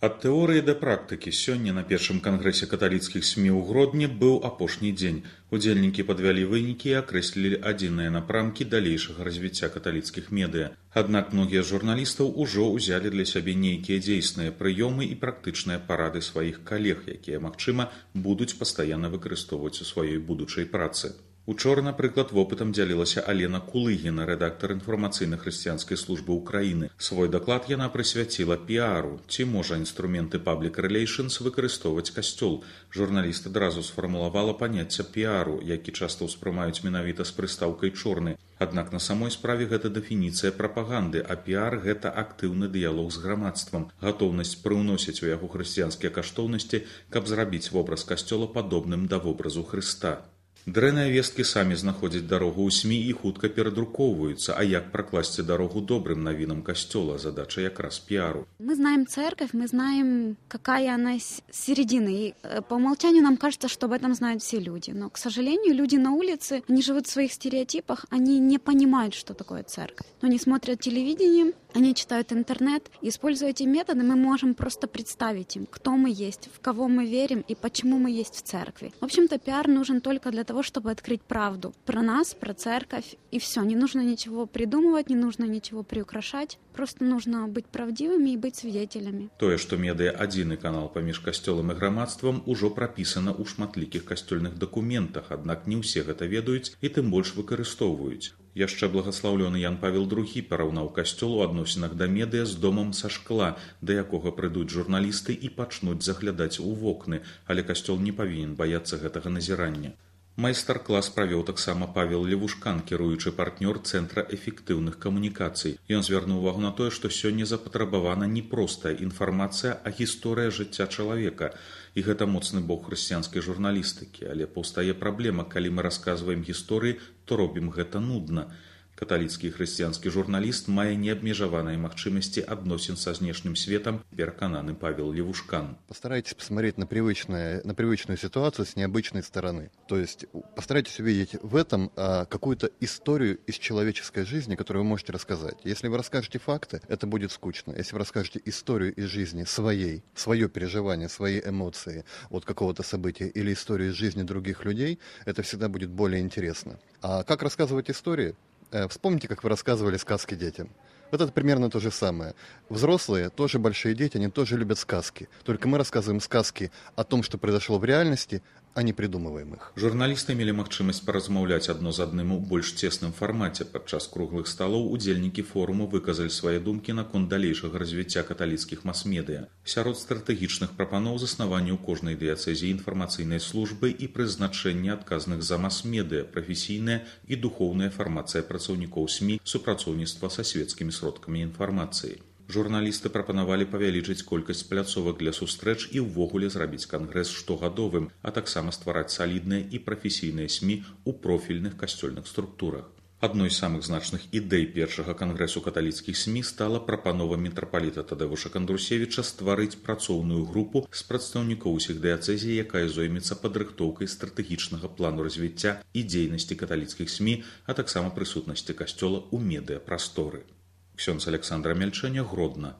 Ад тэорыі да практыкі сёння на першым кангрэсе каталіцкіх СМІ ў Гродні быў апошні дзень. Удзельнікі падвялі вынікі і акрэслілі адзіныя напрамкі далейшага развіцця каталіцкіх медыа. Аднак многія з журналістаў ужо ўзялі для сябе нейкія дзейсныя прыёмы і практычныя парады сваіх калег, якія, магчыма, будуць пастаянна выкарыстоўваць у сваёй будучай працы. Учора, напрыклад, вопытам дзялілася Алена Кулыгіна, рэдактар інфармацыйна-хрысціянскай службы ўкраіны. Свой даклад яна прысвяціла піару. Ці можа інструменты Public Relations выкарыстоўваць касцёл? Журналіст адразу сфармулавала паняцце піару, які часта ўспрымаюць менавіта з прыстаўкай «чорны». Аднак на самой справе гэта дэфініцыя прапаганды, а піар – гэта актыўны дыялог з грамадствам, гатоўнасць прыўносіць у яго хрысціянскія каштоўнасці, каб зрабіць вобраз касцёла падобным да вобразу Хрыста. Дрэнныя весткі самі знаходзяць дарогу ў СМІ і хутка перадрукоўваюцца, а як пракласці дарогу добрым навінам касцёла – задача якраз піару. Мы знаем церковь, мы знаем, какая она с середины. И по умолчанию нам кажется, что об этом знают все люди. Но, к сожалению, люди на улице, они живут в своих стереотипах, они не понимают, что такое церковь. Они смотрят телевидение, они читают интернет. Используя эти методы, мы можем просто представить им, кто мы есть, в кого мы верим и почему мы есть в церкви. В общем-то, пиар нужен только для того, чтобы открыть правду про нас, про церковь, и все. Не нужно ничего придумывать, не нужно ничего приукрашать. Просто нужно быть правдивыми и быть свидетелями. Тое, што медыа адзіны канал паміж касцёлам і грамадствам, ужо прапісана ў шматлікіх касцёльных дакументах, аднак не ўсе гэта ведаюць і тым больш выкарыстоўваюць. Яшчэ благаслаўлёны Ян Павел II параўнаў касцёл у адносінах да медыа з домам са шкла, да якога прыйдуць журналісты і пачнуць заглядаць у вокны, але касцёл не павінен баяцца гэтага назірання. Майстар-клас правёў таксама Павел Левушкан, кіруючы партнёр Цэнтра эфектыўных камунікацый. Ён звярнуў увагу на тое, што сёння запатрабавана не простая інфармацыя, а гісторыя жыцця чалавека. І гэта моцны бок хрысціянскай журналістыкі. Але паўстае праблема, калі мы расказваем гісторыі, то робім гэта нудна. Каталіцкі і хрысціянскі журналіст мае неабмежаваныя магчымасці адносін са знешнім светом, перакананы Павел Левушкан. Постарайтесь посмотреть на привычную ситуацию с необычной стороны. То есть постарайтесь увидеть в этом какую-то историю из человеческой жизни, которую вы можете рассказать. Если вы расскажете факты, это будет скучно. Если вы расскажете историю из жизни своей, свое переживание, свои эмоции от какого-то события или историю из жизни других людей, это всегда будет более интересно. А как рассказывать истории? Вспомните, как вы рассказывали сказки детям. Вот это примерно то же самое. Взрослые, тоже большие дети, они тоже любят сказки. Только мы рассказываем сказки о том, что произошло в реальности, а не придумываем их. Журналісты мелі магчымасць паразмаўляць адно з адным у больш цесным фармаце. Падчас круглых сталоў удзельнікі форуму выказалі свае думкі наконт далейшага развіцця каталіцкіх мас-медыа. Сярод стратэгічных прапаноў заснаванне ў кожнай дыяцэзіі інфармацыйнай службы і прызначэнне адказных за мас-медыа, прафесійная і духоўная фармацыя працаўнікоў СМІ, супрацоўніцтва са светскімі сродкамі інфармацыі. Журналісты прапанавалі павялічыць колькасць пляцовак для сустрэч і ўвогуле зрабіць кангрэс штогадовым, а таксама ствараць салідныя і прафесійныя СМІ ў профільных касцёльных структурах. Адной з самых значных ідэй першага кангрэсу каталіцкіх СМІ стала прапанова мітрапаліта Тадэвуша Кандрусевіча стварыць працоўную групу з прадстаўнікоў усіх дыяцэзій, якая зоймецца падрыхтоўкай стратэгічнага плану развіцця і дзейнасці каталіцкіх СМІ, а таксама прысутнасці касцёла ў медыапрасторы. Ксёндз Александра Мельчэня, Гродна.